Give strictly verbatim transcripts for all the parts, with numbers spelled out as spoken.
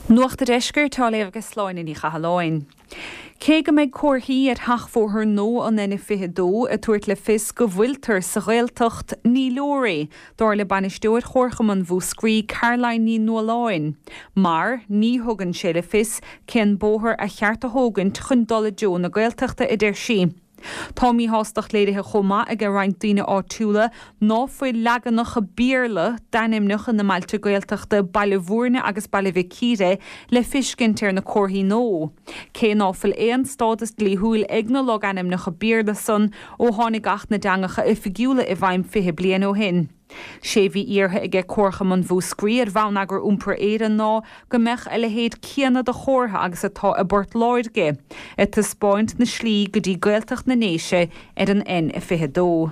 Nuacht an Deiscirt á léamh ag Sláine Ní Chathalláin. Cé go mbeidh comharthaí ar sheachbhóthar nua an N fiche dó ag tabhairt le fios go bhfuiltear sa Ghaeltacht, ní leor é, dar le bainisteoir Chomharchumann Mhúscraí Caroline Ní Nualláin, mar ní thugann sé le fios cén bóthar a cheart a thógaint chun dul i dtreo na Gaeltachta, a deir sí. Tá míshástacht léirithe chomh maith ag roinnt daoine áitiúla ná fuil leaganacha Béarla d'ainmneacha na mbailte Gaeltachta Baile Bhúirne agus Baile Mhic Íre le feiscint ar na comharthaí nua, cé ná fuil aon stádas dlíthiúil ag na logainmneacha Béarla san ó tháinig Acht na dTeangacha Oifigiúla i bhfeidhm fiche bliain ó shin. Sé bhí iarrtha aige Comharchumann Mhúscraí ar Bhonneagar Iompair Éireann ná go mbeadh a leithéid céanna de chomhartha agus atá i bPort Láirge, ag taispeáint na slí go dtí Gaeltacht na nDéise ar an N fiche dó.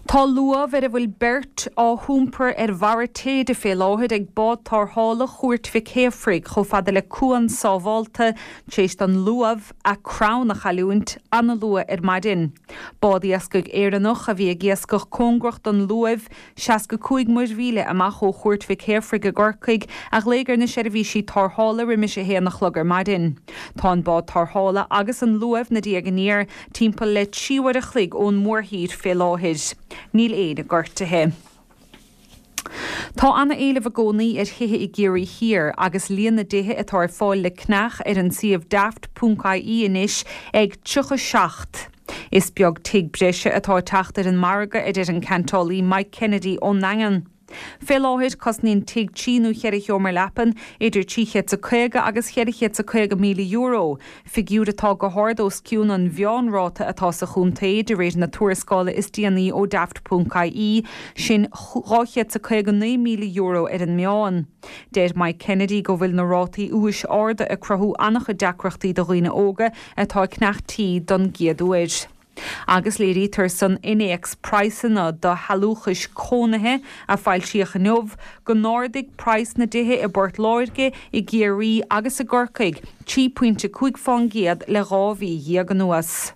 Tá luamh ar a bhfuil beirt á hiompar ar bharra téide fé láthair ag bád tarrthála Chúirt Mhic Shéafraidh chomh fada le cuan sábhálta tar éis don luamh a crann a chailliúint an-luath ar maidin. Bád iascaigh Éireannach a bhí ag iascach cóngarach don luamh, seasca cúig muirmhíle amach ó Chúirt Mhic Shéafraidh i gCorcaigh, a ghlaoigh ar na seirbhísí tarrthála roimis a haon a chlog ar maidin. Tá an bád tarrthála agus an luamh 'na diaidh aniar timpeall le trí uair a chloig ón mórthír fé láthair. Níl éinne gortaithe. Tá an-éileamh i gcónaí ar thithe i gCiarraí Thiar agus líon na dtithe atá ar fáil le ceannach ar an suíomh daft ponc I E anois ag tríocha seacht. Is beag tigh breise atá ag teacht ar an margadh, a deir an ceantálaí Mike Kennedy ón nDaingean. Fé láthair, cosnaíonn tigh trí nó cheithre sheomra leapan idir trí chéad is a caoga agus cheithre chéad is a caoga míle euro, figiúr atá go hard os cionn an mheánráta atá sa chontae de réir na tuarascála is déanaí ó daft ponc I E, sin dhá chéad is a caoga naoi míle euro ar an meán. Deir Mike Kennedy go bhfuil na rátaí úis arda ag cruthú an-chuid deacrachtaí do dhaoine óga atá ag ceannach tí don gcéad uair. Agus léirítear san innéacs praghsanna do shealúchais cónaithe a foilsíodh inniu go n-ardaigh praghas na dtithe i bPort Láirge, i gCiarraí agus i gCorcaigh trí phointe cúig faoin gcéad le dhá mhí dhéag anuas.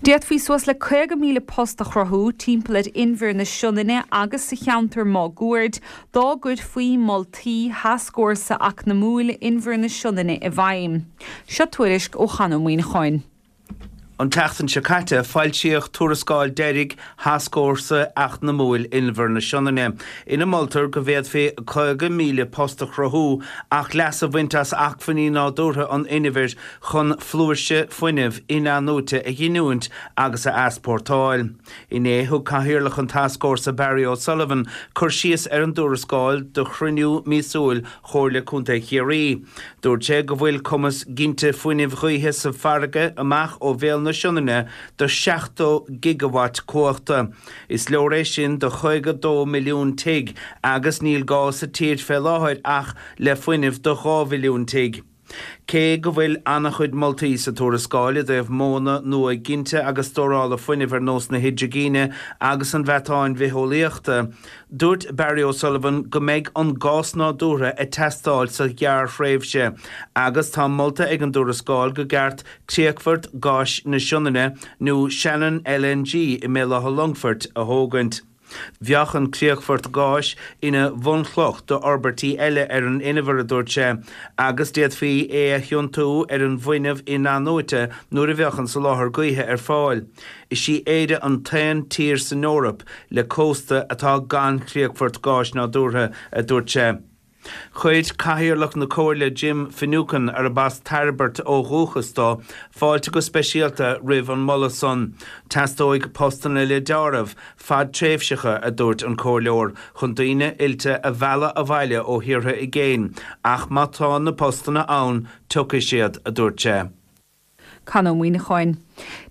D'fhéadfaí suas le caoga míle post a chruthú timpeall ar Inbhear na Sionainne agus sa cheantar máguaird dá gcuirfí moltaí Thascfhórsa Eacnamúil Inbhear na Sionainne i bhfeidhm. Seo tuairisc ó Chon Ó Muíneacháin. An tseachtain seo caite, foilsíodh tuarascáil deiridh Thascfhórsa Eacnamúil Inbhear na Sionainne, ina moltar go bhféadfaí caoga míle post a chruthú ach leas a bhaint as acmhainní nádúrtha an inbhir chun flúirse fuinnimh in-athnuaite a ghiniúint agus a easpórtáil. Inné, thug Cathaoirleach an Tascfhórsa Barry O'Sullivan cur síos ar an dtuarascáil do chruinniú míosúil Chomhairle Contae Chiarraí. Dúirt sé go bhfuil cumas ginte fuinnimh ghaoithe sa bhfarraige amach ó bhéal na Sionainne do seachtó gigeawatt cumhachta. Is leor é sin do chaoga dó milliún tigh agus níl gá sa tír fé láthair ach le fuinneamh do dhá mhilliún tigh. Cé go bhfuil an-chuid moltaí sa tuarascáil i dtaobh modhanna nua ginte agus stórála fuinnimh ar nós na hidrigine agus an mheatáin bhitheolaíochta, dúirt Barry O'Sullivan go mbeidh an gás nádúrtha ag teastáil sa ghearrthréimhse agus tá molta ag an dtuarascáil go gceart críochfort gáis na Sionainne nó Shannon L N G i mBéal Átha Longfoirt a thógaint. Bheadh an críochfort gáis ina bhunchloch d'fhorbairtí eile ar an inbhear, a dúirt sé, agus d'fhéadfaí é a thiontú ar an bhfuinneamh in-athnuaite nuair a bheadh an soláthar gaoithe ar fáil. Is í Éire an t-aon tír san Eoraip le cósta atá gan chríochfort gáis nádúrtha, a dúirt sé. Chuir Cathaoirleach na Comhairle Jim Finucane, arb as Tairbeart ó dhúchas dó, fáilte go speisialta roimh an moladh san. Teastóidh postanna le deáramh, fadtréimhseacha, a dúirt an comhairleoir, chun daoine oilte a mhealladh abhaile ó thíortha i gcéin, ach má tá na postanna ann, tiocfaidh siad, a dúirt sé. Con Ó Muíneacháin.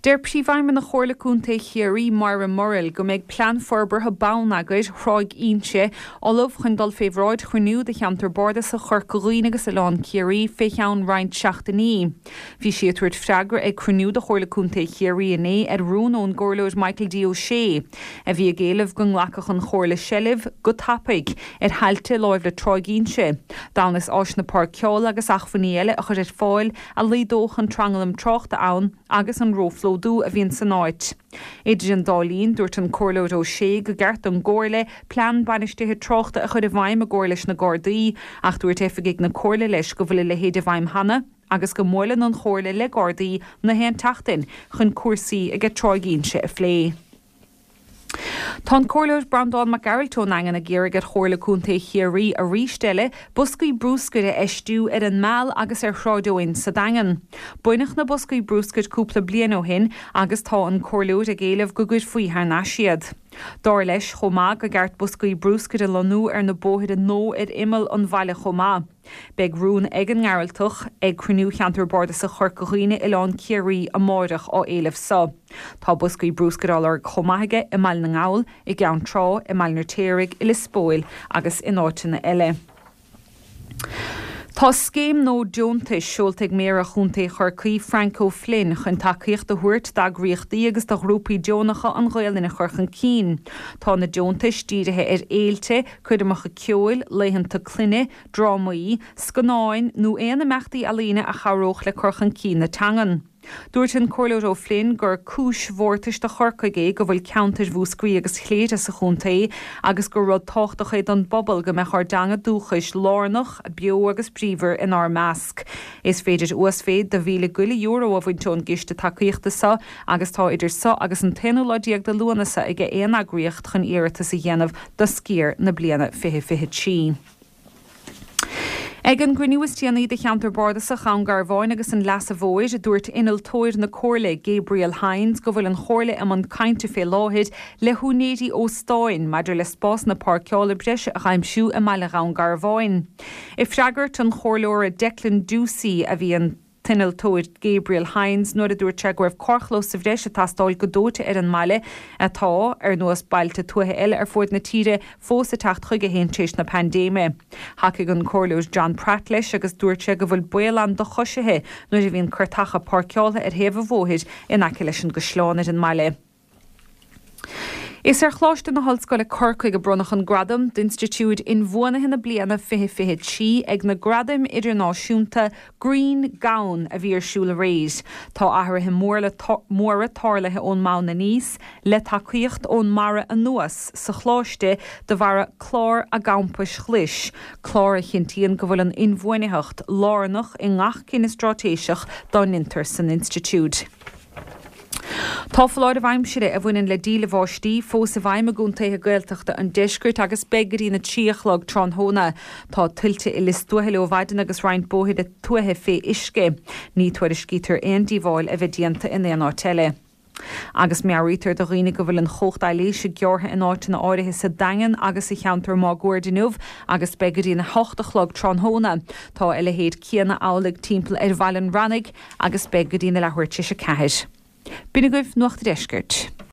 Deir Príomhfheidhmeannach Chomhairle Contae Chiarraí, Moira Murrell, go mbeidh plean forbartha bonneagair Thráigh Inse ullamh chun dul fé bhráid chruinniú de cheantar bardasach Chorca Dhuibhne agus Oileán Ciarraí fé cheann roinnt seachtainí. Bhí sí ag tabhairt freagra ag cruinniú de Chomhairle Contae Chiarraí inné ar rún ón gcomhairleoir Michael D. O'Shea, a bhí ag éileamh go nglacfadh an Chomhairle seilbh go tapaidh ar thailte láimh le Tráigh Inse, d'fhonn is áiseanna páirceála agus acmhainní eile a chur ar fáil a laghdódh an tranglam tráchta ann agus an róphlódú a bhíonn san áit. Idir an dá linn, dúirt an Comhairleoir Ó Sé go gceart don gComhairle plean bainistithe tráchta a chur i bhfeidhm i gcomhar leis na Gardaí, ach dúirt oifigigh na Comhairle leis go bhfuil a leithéid i bhfeidhm cheana agus go mbuaileann an Chomhairle le Gardaí na haon tseachtain chun cúrsaí ag Tráigh Inse a phlé. Tá an Comhairleoir Breandán Mac Gearailt ón nDaingean ag iarraidh ar Chomhairle Contae Chiarraí arís eile boscaí bruscair a fheistiú ar an Meal agus ar Shráid Eoin sa Daingean. Baineadh na boscaí bruscair cúpla bliain ó shin agus tá an Comhairleoir ag éileamh go gcuirfí thar n-ais iad. Dar leis chomh maith go gceart boscaí bruscair a lonnú ar na bóithre nó ar imeall an bhaile chomh maith. Beidh rún ag an nGearaltach ag cruinniú Cheantar Bardasach Chorca Dhuibhne Oileán Ciarraí amárach á éileamh so. Tá boscaí bruscair á lorg chomh maith aige i mBaile na nGall, i gCeann Trá, i mBaile an Fheirtéaraigh, i Lios Póil agus in áiteanna eile. Tá scéim nua deontais seolta ag Méara Chontae Chorcaí Frank O'Flynn chun tacaíocht a thabhairt d'eagraíochtaí agus do ghrúpaí deonacha an Ghaelainn a chur chun cinn. Tá na deontais dírithe ar fhéilte, coirmeacha ceoil, laethanta clainne, drámaí, scannáin nó aon imeachtaí ealaíne a chabhródh le cur chun cinn na teangan. Dúirt an Comhairleoir O'Flynn gur cúis mhórtais do Chorcaigh é go bhfuil ceantair Mhúscraí agus Chléire sa chontae agus gur rud tábhachtach é don bpobal go mbeadh ár dteanga dúchais lárnach, beo agus bríomhar inár measc. Is féidir uasmhéid de mhíle go leith euro a bhaint ón gciste tacaíochta seo agus tá idir seo agus an t-aonú lá déag de Lúnasa ag aon eagraíocht chun iarratas a dhéanamh do sciar na bliana fiche fiche trí. Ag an gcruinniú is déanaí de cheantar Bardasach Dhún Garbhán agus an Leasa Mhóir, dúirt innealtóir na Comhairle Gabriel Hines go bhfuil an Chomhairle i mbun cainte fé láthair le húinéirí óstáin maidir le spásanna páirceála breise a aimsiú i mbaile Dhún Garbhán. I freagairt an chomhairleora Declan Ducey a bhí an t-innealtóir Gabriel Hines nuair a dúirt sé go raibh carrchlós sa bhreis ag teastáil go dóite ar an mbaile atá ar nós bailte tuaithe eile ar fud na tíre fós ag teacht chuige féin tar éis na paindéime. Thacaigh an Comhairleoir John Pratt leis agus dúirt sé go bhfuil baol ann do choisithe nuair a bhíonn cairteacha páirceáilte ar thaobh an bhóthair in aice leis an gcaisleán ar an mbaile. Is ar Choláiste na hOllscoile Corcaigh a bronnadh an gradam d'Institiúid Inbhuanaithe na bliana fiche fiche trí ag na Gradaim Idirnáisiúnta Green Gown a bhí ar siúl aréir. Tá athruithe móra tarlaithe ón mbonn aníos le tacaíocht ón mbarra anuas sa choláiste de bharr clár a gcampais ghlais, clár a chinntíonn go bhfuil an inbhuanaitheacht lárnach i ngach cinneadh straitéiseach dá ndéantar san institiúid. Tá foláireamh aimsire a bhaineann le díle bháistí fós i bhfeidhm i gcontaetha Gaeltachta an deiscirt agus beidh go dtí a trí a chlog tráthnóna. Tá tuilte i Lios Tuathail ó mhaidin agus roinnt bóithre tuaithe fé uisce. Ní tuairiscítear aon díobháil a bheith déanta in aon áit eile. Agus meabhraítear do dhaoine go bhfuil an chumhacht aibhléise gearrtha in áiteanna áirithe sa Daingean agus sa cheantar máguaird inniu agus beidh go dtí a hocht a chlog tráthnóna. Tá a leithéid céanna amhlaidh timpeall ar Bhaile an Bhranaigh agus beidh go dtí na leathuair tar éis a ceathair. B'in agaibh Nuacht an Deiscirt.